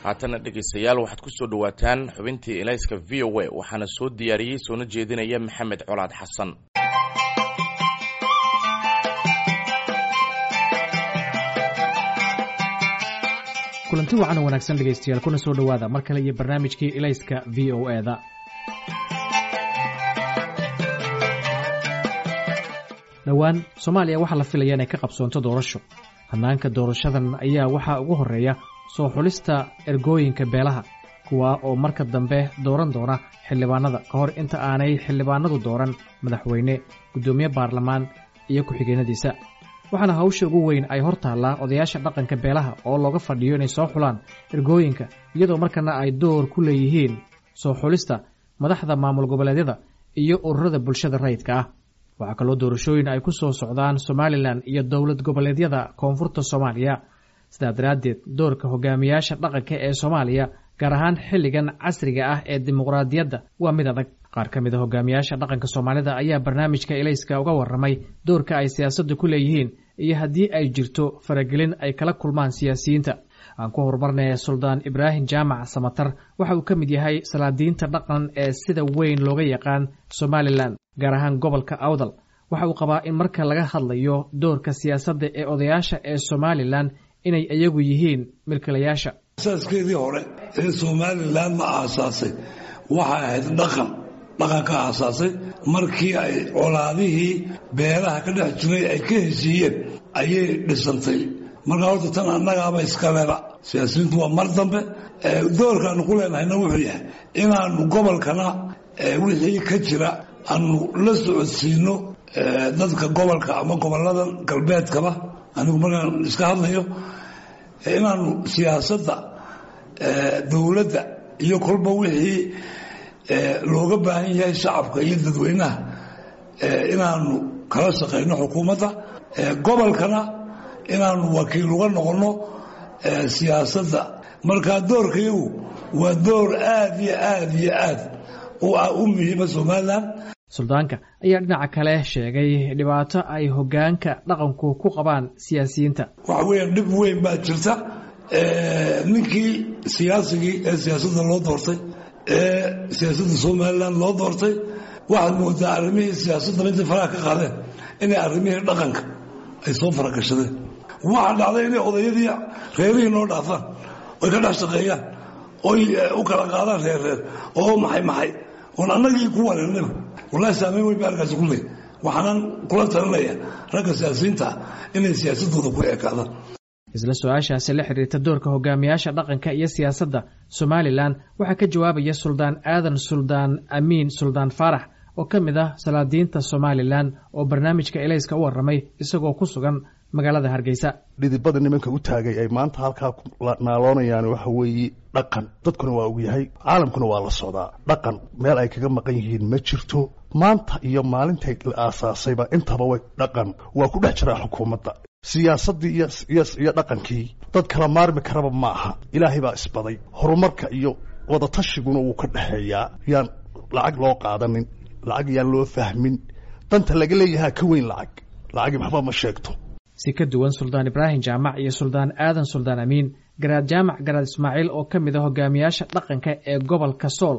Haatanna dhegaystayaal, waxaad ku soo dhowaataan xubintii Ilayska VOA, waxaana soo diyaariyey soona jeedinaya Maxamed Colaad Xasan. Kulanti wacan oo wanaagsan dhegaystayaal, kuna soo dhowaada mar kale iyo barnaamijkii Ilayska VOA-da. Dhowaan Soomaaliya waxaa la filaya inay ka qabsoonto doorasho. Hannaanka doorashadan ayaa waxaa ugu horreeya soo xulista ergooyinka beelaha, kuwaa oo marka dambe dooran doona xildhibaanada, ka hor inta aanay xildhibaanadu dooran madaxweyne, guddoomiye baarlamaan iyo ku-xigeenadiisa. Waxaana hawsha ugu weyn ay hor taallaa odayaasha dhaqanka beelaha oo looga fadhiyo inay soo xulaan ergooyinka, iyadoo markana ay door ku leeyihiin soo xulista madaxda maamul goboleedyada iyo ururada bulshada rayidka ah. Waxaa kaloo doorashooyin ay ku soo socdaan Somalilan iyo dowlad goboleedyada koonfurta Soomaaliya. Sidaa daraaddeed, doorka hogaamiyaasha dhaqanka ee Soomaaliya, gaar ahaan xilligan casriga ah ee dimuqraadiyadda, waa mid adag. Qaar ka mid a hogaamiyaasha dhaqanka Soomaalida ayaa barnaamijka Ilayska uga warramay doorka ay siyaasadda ku leeyihiin iyo haddii ay jirto faragelin ay kala kulmaan siyaasiyiinta. Aan ku horumarnaya Suldaan Ibraahim Jaamac Samatar. Waxa uu ka mid yahay salaadiinta dhaqan ee sida weyn looga yaqaan Somalilan, gaar ahaan gobolka Awdal. Waxa uu qabaa in marka laga hadlayo doorka siyaasadda ee odayaasha ee Somalilan inay iyagu yihiin milkilayaasha. Asaaskeedii hore ee Somalilan la aasaasay waxay ahayd dhaqan. Dhaqanka aasaasay markii ay colaadihii beelaha ka dhex jiray ay ka heshiiyeen ayay dhisantay. Markaa horta tan annagaaba iskaleba, siyaasiyiintu waa mar dambe. Doorkaanu ku leenahayna wuxuu yahay inaannu gobolkana wixii ka jira aanu la socodsiino dadka gobolka ama gobollada galbeedkaba. Anigu markaan iska hadlayo, inaannu siyaasadda dowladda iyo kolba wixii looga baahan yahay shacabka iyo dadweynaha inaannu kala shaqayno xukuumadda gobolkana, inaannu wakiil uga noqonno siyaasadda. Markaa doorkayagu waa door aad iyo aad iyo aad u muhiima Somalilan. Suldaanka ayaa dhinaca kale sheegay dhibaato ay hoggaanka dhaqanku ku qabaan siyaasiyiinta. Waxa weeyaan dhib weyn baa jirta. Ninkii siyaasigii ee siyaasadda loo doortay, ee siyaasadda Somalilan loo doortay, waxaad moodaa arrimihii siyaasadda intay faraha ka qaadeen inay arrimihii dhaqanka ay soo faragashadeen. Waxaa dhacday inay odayadii reerihii noo dhaafaan, oy ka dhex shaqeeyaan, oy u kala qaadaan reerreer oo maxay maxay oon annagii ku wareernaba. Wallahi, saameyn weyn ba arkaasi ku leey. Waxaanan kula talinaya ragga siyaasiyiinta inay siyaasadooda ku ekaadaan. Isla su-aashaasi la xiriirta doorka hogaamiyaasha dhaqanka iyo siyaasadda Somalilan waxaa ka jawaabaya Suldaan Aadan Suldaan Amiin Suldaan Faarax oo ka mid ah salaadiinta Somalilan oo barnaamijka Elayska u warramay isagoo ku sugan magaalada Hargeysa. Dhidibada nimanka u taagay ay maanta halkaa naaloonayaan waxa weeye dhaqan. Dadkuna waa ogyahay, caalamkuna waa la socdaa. Dhaqan meel ay kaga maqan yihiin ma jirto. Maanta iyo maalintay la aasaasayba intaba way dhaqan waa ku dhex jiraa xukuumadda. Siyaasaddii iyo dhaqankii dad kala maarmi karaba ma aha. Ilaahay baa isbaday. Horumarka iyo wadatashigguna wuu ka dhexeeyaa. Yaan lacag loo qaadanin, lacag yaan loo fahmin. Danta laga leeyahaa ka weyn lacag. Lacagi maxba ma sheegto. Si ka duwan Suldaan Ibraahim Jaamac iyo Suldaan Aadan Suldaan Amiin, Garaad Jaamac Garaad Ismaaciil oo ka mid a hogaamiyaasha dhaqanka ee gobolka Sool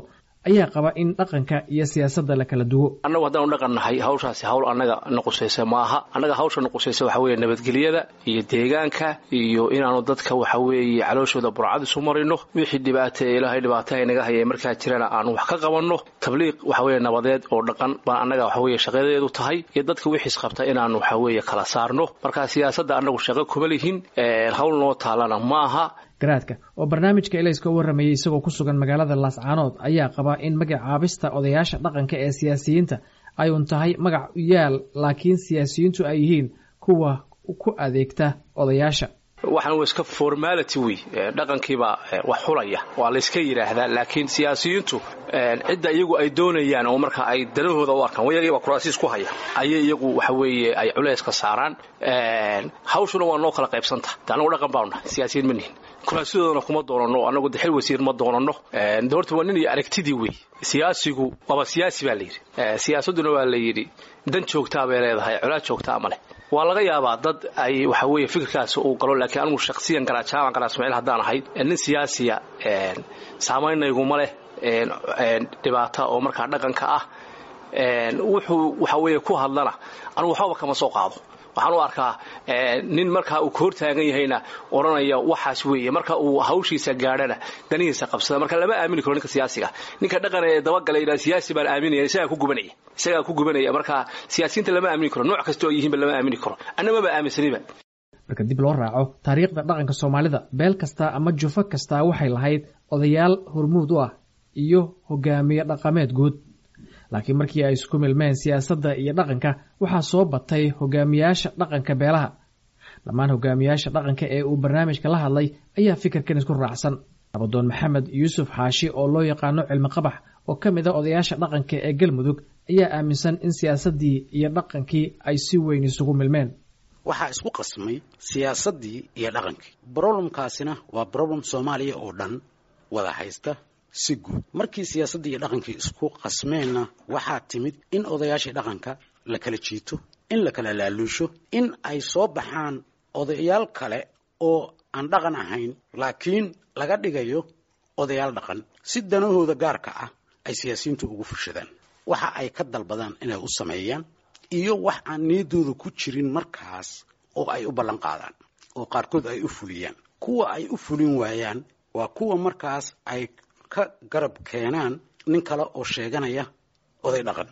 ayaa qaba in dhaqanka iyo siyaasadda la kala duwo. Annagu haddaanu dhaqan nahay, hawshaasi hawl annaga nuqusaysa ma aha. Annaga hawsha nuqusaysa waxa weeye nabadgelyada iyo deegaanka iyo inaanu dadka waxa weeye calooshooda burcad isu marino. Wixii dhibaata Ilaahay dhibaataha inaga hayay markaa jirana aanu wax ka qabanno. Tabliiq waxa weeye nabadeed oo dhaqan baan annaga waxa weeye shaqadeedu tahay, iyo dadka wixiis qabta inaanu waxa weeye kala saarno. Marka siyaasadda annagu shaqo kuma lihin, hawl noo taalana ma aha. Garaadka oo barnaamijka Elayska u warramayay isagoo ku sugan magaalada Laascaanood ayaa qaba in magacaabista odayaasha dhaqanka ee siyaasiyiinta ay un tahay magac u yaal, laakiin siyaasiyiintu ay yihiin kuwa ku adeegta odayaasha. Waxaan waa iska formality wey. Dhaqankiibaa wax xulaya waa layska yidhaahdaa, laakiin siyaasiyiintu cidda iyagu ay doonayaan oo marka ay danahooda u arkaan, wayagii baa kuraasiis ku haya, ayay iyagu waxa weeye ay culayska saaraan. Hawshuna waa noo kala qaybsanta. De annagu dhaqan baanu nahay, siyaasiyiin ma nihin. Kuraasidoodana kuma doonanno annagu, de xil wasiir ma doonanno. De horta waa nin iyo aragtidii wey. Siyaasigu waaba siyaasi baa la yidhi, siyaasadduna waa la yidhi dan joogtaa bay leedahay, colaad joogtaa ma leh. Waa laga yaabaa dad ay waxa weeye fikirkaas uu galo, laakiin anigu shakhsiyan Garaad Jaamac Garaad Ismaaciil haddaan ahay, nin siyaasiya saameynayguma leh dhibaata oo markaa dhaqanka ah. Wuxuu waxa weeye ku hadlana anigu waxbaba kama soo qaado. Waxaan u arkaa nin markaa uu ka hortaagan yahayna odhanaya waxaas weeye, marka uu hawshiisa gaadhana danihiisa qabsada. Marka lama aamini karo ninka siyaasiga. Ninka dhaqan ee dabagalay yidhaha siyaasi baan aaminaya, isagaa ku gubanaya, isagaa ku gubanaya. Marka siyaasiyiinta lama aamini karo, nooc kasta oo yihiinba lama aamini karo, annamaba aaminsaniba. Marka dib loo raaco taariikhda dhaqanka Soomaalida, beel kasta ama jufo kastaa waxay lahayd odayaal hormuud u ah iyo hogaamiye dhaqameed guud. Laakiin markii ay isku milmeen siyaasadda iyo dhaqanka, waxaa soo batay hogaamiyaasha dhaqanka beelaha. Dhammaan hogaamiyaasha dhaqanka ee uu barnaamijka la hadlay ayaa fikirkan isku raacsan. Nabadoon Maxamed Yuusuf Xaashi oo loo yaqaano Cilmi Qabax, oo ka mid a odayaasha dhaqanka ee Galmudug, ayaa aaminsan in siyaasaddii iyo dhaqankii ay si weyn isugu milmeen. Waxaa isku qasmay siyaasaddii iyo dhaqankii. Problemkaasina waa problem Soomaaliya oo dhan wada haysta si guud. Markii siyaasaddii iyo dhaqankii isku qasmeenna, waxaa timid in odayaashii dhaqanka la kala jiito, in la kala laaluusho, in ay soo baxaan odayaal kale oo aan dhaqan ahayn laakiin laga dhigayo odayaal dhaqan, si danahooda gaarka ah ay siyaasiyiintu ugu fushadaan, waxa ay ka dalbadaan inay u sameeyaan iyo wax aan niyaddooda ku jirin markaas oo ay u ballan qaadaan oo qaarkood ay u fuliyaan. Kuwa ay u fulin waayaan waa kuwa markaas ay ka garab keenaan nin kale oo sheeganaya oday dhaqan.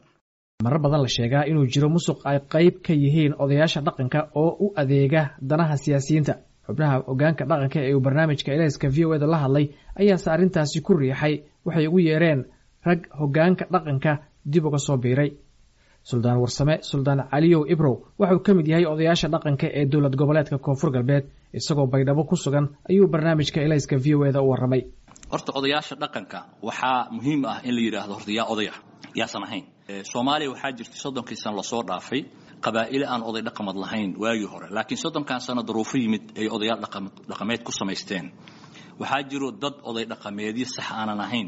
Marar badan la sheegaa inuu jiro musuq ay qayb ka yihiin odayaasha dhaqanka oo u adeega danaha siyaasiyiinta. Xubnaha hogaanka dhaqanka ee uu barnaamijka Elayska VOA da la hadlay ayaase arrintaasi ku riixay waxay ugu yeereen rag hogaanka dhaqanka dib uga soo biiray. Suldaan Warsame Suldaan Caliyow Ibrow waxauu ka mid yahay odayaasha dhaqanka ee dowlad goboleedka Koonfur Galbeed. Isagoo Baydhabo ku sugan ayuu barnaamijka Elayska VOA da u warramay. Horta odayaasha dhaqanka waxaa muhiim ah in la yidhaahdo horta yaa odaya, yaasan ahayn. Soomaaliya waxaa jirtay 30kii sano lasoo dhaafay qabaa'ile aan oday dhaqamad lahayn waagii hore, laakiin 30kan sano daruufo yimid ay odayaal dhaqameed ku samaysteen. Waxaa jiro dad oday dhaqameedyo sax aanan ahayn.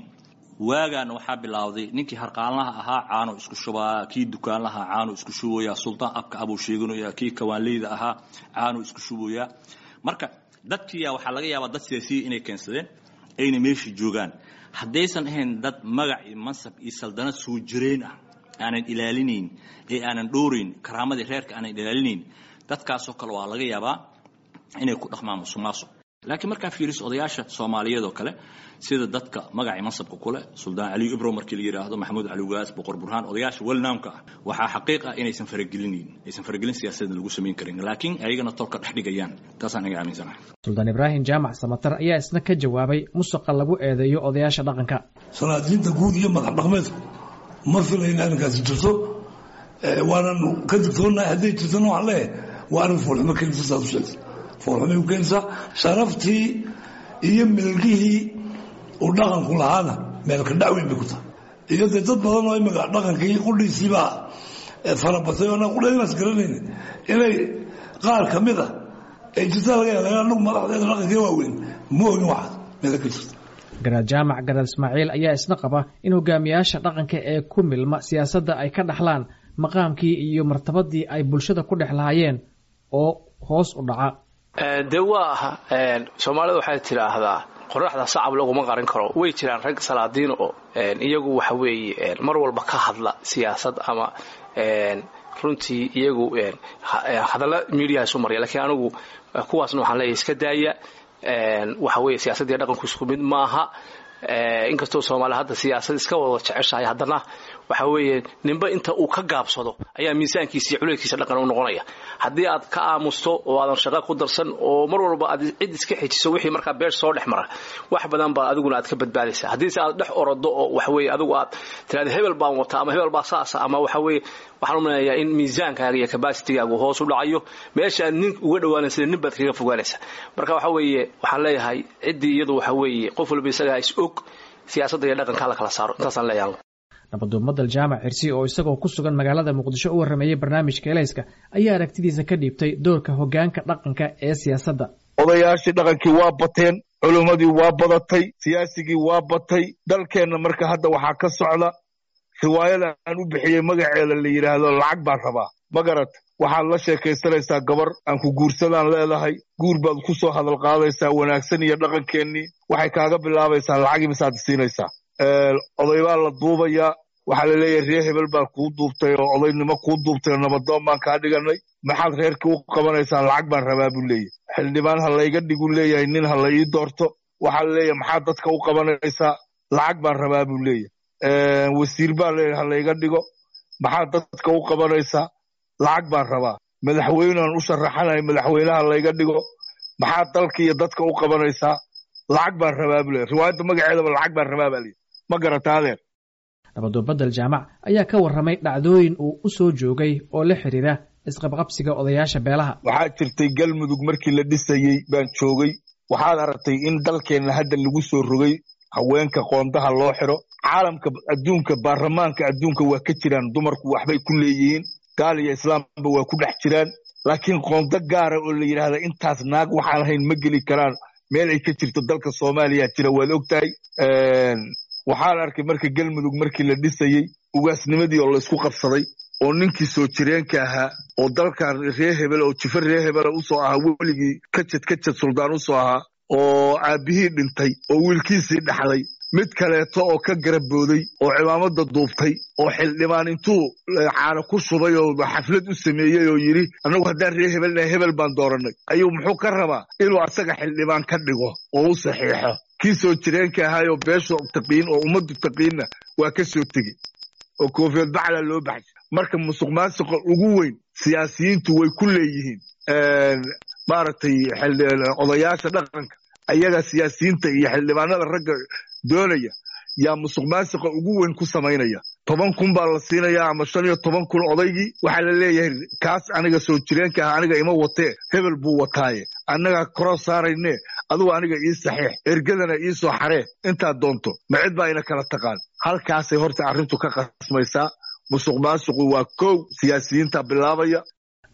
Waagaana waxaa bilaawday ninkii harqaanlaha ahaa caano isku shubaa, kii dukaanlaha caano isku shubayaa, suldaan abka abuu sheeganaya, kii kawaanleyda ahaa caano isku shubayaa. Marka dadkiiya waxaa laga yaabaa dad siyaasiya inay keensadeen ayna meesha joogaan. Haddaysan ahayn dad magac iyo mansab iyo saldanad soo jireen ah aanan ilaalinayn ee aanan dhoorayn, karaamadii reerka aanan ilaalinayn, dadkaasoo kale waa laga yaabaa inay ku dhaqmaan musuqmaasuq. Laakiin markaa fiiriso odayaasha Soomaaliyeed oo kale, sida dadka magacii mansabka kule, Suldaan Cali Ibro markii la yidhaahdo, Maxamuud Cali Ugaas, Boqor Burhaan, odayaasha welnaamka ah, waxaa xaqiiq ah inaysan faragelinayn, aysan faragelin siyaasadeed lagu samayn karin, laakiin ayagana tolka dhex dhigayaan. Taasaan aniga aaminsanahay. Suldaan Ibraahim Jaamac Samatar ayaa isna ka jawaabay musuqa lagu eedeeyo odayaasha dhaqanka. Salaadiinta guud iyo madax dhaqmeedku ma filayn arrinkaasi jirto, waanan ka digtoonahay. Hadday jirtona waxaan leeyahay waa arrin foolxumo keenaysa. Saad u sheegtay, foolxumay ku keenaysaa sharaftii iyo milgihii uu dhaqanku lahaana, meelka dhac weyn bay ku tahay. Iyo dee dad badan oo imika dhaqankii qudhiisiibaa farabatay oo qudhadiibaas garanayna inay qaar ka mid a ay jirtaa laga yaaba. Anagu madaxdeeda dhaqankii waaweyn ma ogin waxaas meela ka jirta. Garaad Jaamac Garaad Ismaaciil ayaa isna qaba in hogaamiyaasha dhaqanka ee ku milma siyaasadda ay ka dhaxlaan maqaamkii iyo martabadii ay bulshada ku dhex lahaayeen oo hoos u dhaca. Dee waa Soomaalida waxay tidhaahdaa qoraxda sacab laguma qarin karo. Way jiraan rag salaadiin oo iyagu waxa weeye mar walba ka hadla siyaasad ama runtii iyagu hadalla miidiyaha isu marya, lakiin anigu kuwaasna waxaan leeyahay iska daaya. Waxa weeye siyaasaddiiyo dhaqanku isku mid maaha. Inkastoo Soomaaliya hadda siyaasad iska wada jeceshahay, haddana waxa weeye ninba inta uu ka gaabsado ayaa miisaankiisa iyo culayskiisa dhaqan u noqonaya. Haddii aad ka aamusto oo aadan shaqo ku darsan oo mar walba aad cid iska xejiso, wixii markaa beesh soo dhex mara wax badan baa adiguna aad ka badbaadaysa. Haddiise aad dhex orodo oo waxa weeye adigu aad tiraada hebel baan wataa ama hebel baa saasa ama waxa weeye, waxaan u maleynayaa in miisaankaaga iyo capacitigaagu hoos u dhacayo. Meesha aad nin uga dhawaanaysa nin baad kaga fogaanaysa. Marka waxa weeye waxaan leeyahay ciddii iyadu waxa weeye qof walba isagaa is og, siyaasadda iyo dhaqanka la kala saaro, intaasaan leeyahay. Nabaduumadal Jaamac Xirsi oo isagoo ku sugan magaalada Muqdisho u warrameeyey barnaamijka Elayska ayaa aragtidiisa ka dhiibtay doorka hoggaanka dhaqanka ee siyaasadda. Odayaashii dhaqankii waa bateen, culummadii waa badatay, siyaasigii waa batay dalkeenna. Marka hadda waxaa ka socda riwaayada aan u bixiyey magaceeda la yidhaahdo "Lacag baan rabaa", ma garata? Waxaad la sheekaysanaysaa gabar aan ku guursadaan leedahay, guur baad ku soo hadal qaadaysaa wanaagsan iyo dhaqankeennii. Waxay kaaga bilaabaysaa lacag imisaad siinaysaa. Oday baa la duubayaa, waxaa la leeyahay reer hebel baa kuu duubtay oo odaynimo kuu duubtay oo nabadoon baan kaa dhiganay, maxaad reerkii u qabanaysaa? Lacag baan rabaa buu leeyahay. Xildhibaan ha layga dhiguu leeyahay, nin ha la ii doorto. Waxaa la leeyahay maxaad dadka u qabanaysaa? Lacag baan rabaa buu leeyahay. Wasiir baa leeyahay ha layga dhigo, maxaad dadka u qabanaysaa? Lacag baan rabaa. Madaxweynaan u sharaxanahay, madaxweynaha layga dhigo, maxaad dalka iyo dadka u qabanaysaa? Lacag baan rabaa buu leeyahay. Riwaayadda magaceedaba lacag baan rabaa baa leeyahay. Ma garata adeer? Nabadoon Bedel Jaamac ayaa ka warramay dhacdooyin uu u soo joogay oo la xiriira isqabqabsiga odayaasha beelaha. Waxaa jirtay Galmudug markii la dhisayey baan joogay. Waxaad aragtay in dalkeenna hadda lagu soo rogay haweenka qoondaha loo xiro. Caalamka adduunka, baarlamaanka adduunka waa ka jiraan dumarku, waxbay ku leeyihiin, gaal iyo islaamba waa ku dhex jiraan, laakiin qoondo gaara oo la yidhaahda intaas naag waxaan ahayn ma geli karaan meel ay ka jirto dalka Soomaaliya jira, waad og tahay. Waxaan arkay marka Galmudug markii la dhisayey ugaasnimadii oo laysku qabsaday, oo ninkii soo jireenka ahaa oo dalkan reer hebel oo jifa reer hebela usoo ahaa, weligii kajad kajad suldaan usoo ahaa, oo aabbihii dhintay oo wiilkiisii dhaxlay, mid kaleeto oo ka garabooday oo cimaamada duubtay oo xildhibaan intuu caano ku shubay oo xaflad u sameeyey oo yidhi annagu haddaan reer hebelnahay hebel baan doorannay, ayuu muxuu ka rabaa? Inuu asaga xildhibaan ka dhigo oo u saxiixo. Kii soo jireenka ahaayoo beesha taqiin oo ummaddu taqiinna waa ka soo tegi oo koofiyad bacla loo baxshay. Marka musuq maasuqa ugu weyn siyaasiyiintu way ku leeyihiin maaragtay odayaasha dhaqanka. Ayaga siyaasiyiinta iyo xildhibaanada ragga doonaya yaa musuq maasuqa ugu weyn ku samaynaya. 10,000 baa la siinayaa ama 15,000 odaygii. Waxaa la leeyahay kaas aniga soo jireenka ah aniga ima watee, hebel buu wataaye, annagaa koroo saarayne, adugu aniga ii saxiix, ergadana ii soo xaree intaad doonto, ma cid baa ina kala taqaan. Halkaasay horta arrintu ka qasmaysaa. Musuq maasuqu waa kow, siyaasiyiinta bilaabaya.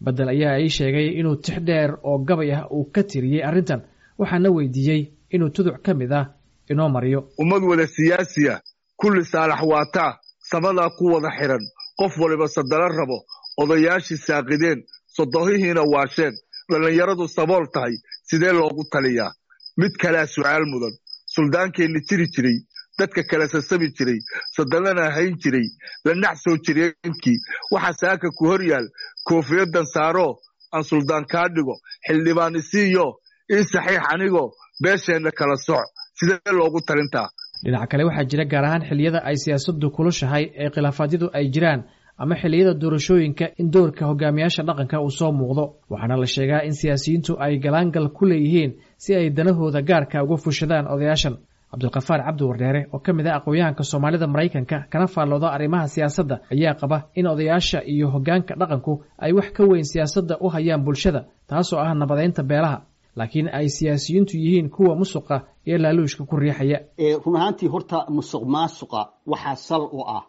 Bedel ayaa ii sheegay inuu tix dheer oo gabay ah uu ka tiriyey arrintan, waxaana weydiiyey inuu tuduc ka mid ah inoo mariyo. Ummad wada siyaasiya, kulli saalax waataa, samadaa ku wada xiran, qof waliba sadala rabo, odayaashii saaqideen, sodohihiina waasheen, dhallinyaradu sabool tahay, sidee loogu taliyaa? Mid kalea su'aal mudan: suldaankeenni jiri jiray, dadka kala sasabi jiray, sadalana hayn jiray, la nax soo jireenkii, waxa saaka ku hor yaal koofiyadan saaroo aan suldaan kaa dhigo, xildhibaan isiiyo ii saxiix anigoo beesheenna kala soc, sidee loogu talintaa? Dhinaca kale, waxaa jira gaar ahaan xilliyada ay siyaasaddu kulushahay ee khilaafaadyadu ay jiraan ama xilliyada doorashooyinka in doorka hogaamiyaasha dhaqanka uu soo muuqdo, waxaana la sheegaa in siyaasiyiintu ay galaangal ku leeyihiin si ay danahooda gaarka uga fushadaan odayaashan. Cabdulkafaar Cabdi Wardheere oo ka mid ah aqoon-yahanka Soomaalida Maraykanka kana faallooda arrimaha siyaasadda ayaa qaba in odayaasha iyo hoggaanka dhaqanku ay wax ka weyn siyaasadda u hayaan bulshada, taasoo ah nabadeynta beelaha, laakiin ay siyaasiyiintu yihiin kuwa musuqa iyo laaluushka ku riixaya. Run ahaantii horta musuq maasuqa waxaa sal u ah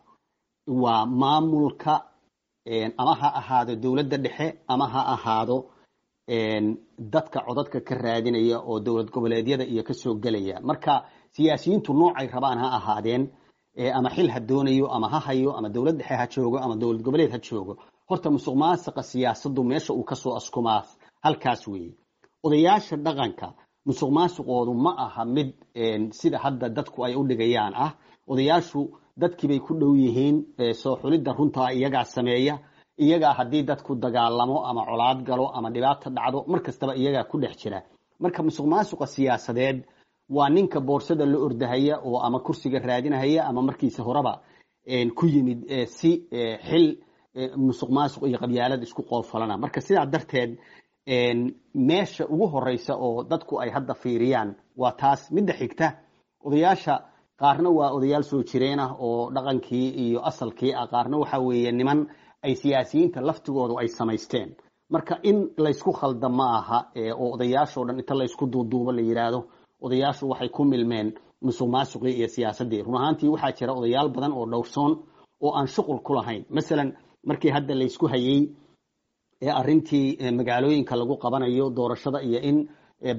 waa maamulka, ama ha ahaado dowladda dhexe ama ha ahaado dadka codadka ka raadinaya oo dowlad goboleedyada iyo kasoo gelaya. Marka siyaasiyiintu noocay rabaan ha ahaadeen, ama xil ha doonayo ama ha hayo, ama dowlad dhexe ha joogo ama dowlad goboleed ha joogo, horta musuq maasuqa siyaasaddu meesha uu kasoo askumaa halkaas weeye. Odayaasha dhaqanka musuq maasuqoodu ma aha mid sida hadda dadku ay u dhigayaan ah. Odayaashu dadkiibay ku dhow yihiin, soo xulidda runtaa iyagaa sameeya, iyagaa haddii dadku dagaalamo ama colaad galo ama dhibaata dhacdo mar kastaba iyagaa ku dhex jira. Marka musuq maasuqa siyaasadeed waa ninka boorsada la ordahaya oo ama kursiga raadinahaya ama markiisa horeba ku yimid si xil musuq maasuq iyo qabyaalad isku qoofalana. Marka sidaa darteed meesha ugu horeysa oo dadku ay hadda fiiriyaan waa taas. Midda xigta, odayaasha qaarna waa odayaal soo jireen ah oo dhaqankii iyo asalkii ah, qaarna waxa weeye niman ay siyaasiyiinta laftigoodu ay samaysteen. Marka in laysku khalda ma aha oo odayaashoo dhan inta laysku duuduubo la yidhaahdo odayaashu waxay ku milmeen musuq maasuqii iyo siyaasaddii. Run ahaantii waxaa jira odayaal badan oo dhowrsoon oo aan shuqul ku lahayn. Masalan markii hadda laysku hayey ee arrintii magaalooyinka lagu qabanayo doorashada iyo in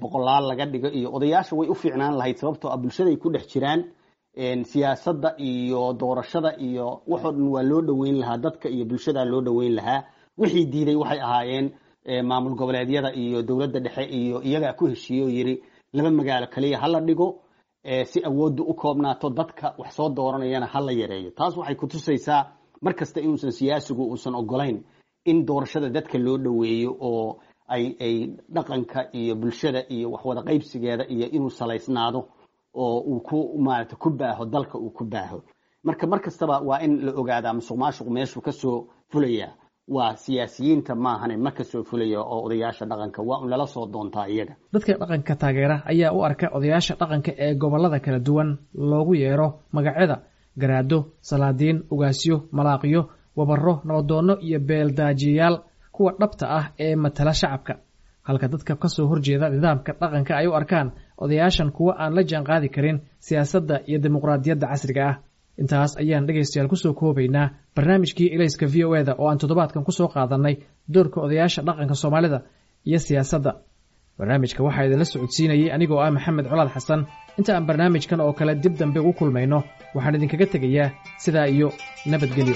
boqolaal laga dhigo iyo odayaasha way u fiicnaan lahayd, sababtoo ah bulshaday ku dhex jiraan, siyaasadda iyo doorashada iyo waxoo dhan waa loo dhoweyn lahaa, dadka iyo bulshadaa loo dhoweyn lahaa. Wixii diiday waxay ahaayeen maamul goboleedyada iyo dowladda dhexe, iyo iyagaa ku heshiiye oo yidhi laba magaalo kaliya hala dhigo si awooddu u koobnaato, dadka wax soo dooranayana hala yareeyo. Taas waxay kutusaysaa mar kasta inuusan siyaasigu uusan ogolayn in doorashada dadka loo dhoweeyo oo ay dhaqanka iyo bulshada iyo waxwada qaybsigeeda iyo inuu salaysnaado oo uu ku maarata ku baaho dalka uu ku baaho. Marka mar kastaba waa in la ogaadaa musuq maasuq meeshuu kasoo fulaya waa siyaasiyiinta maahane, ma kasoo fulaya oo odayaasha dhaqanka waa un lala soo doontaa iyaga. Dadka dhaqanka taageera ayaa u arka odayaasha dhaqanka ee gobollada kala duwan loogu yeero magacyada garaado, salaadiin, ugaasyo, malaaqyo, wabarro, nabadoonno iyo beeldaajiyayaal kuwa dhabta ah ee matala shacabka, halka dadka kasoo horjeeda nidaamka dhaqanka ay u arkaan odayaashan kuwa aan la jaan qaadi karin siyaasadda iyo dimuqraadiyadda casriga ah. Intaas ayaan dhegaystayaal kusoo koobaynaa barnaamijkii Ilayska VOA da oo aan toddobaadkan kusoo qaadanay doorka odayaasha dhaqanka Soomaalida iyo siyaasadda. Barnaamijka waxaa idinla socodsiinayey anigoo ah Maxamed Colaad Xasan. Inta aan barnaamijkan oo kale dib dambe ugu kulmayno, waxaan idinkaga tegayaa sidaa iyo nabadgelyo.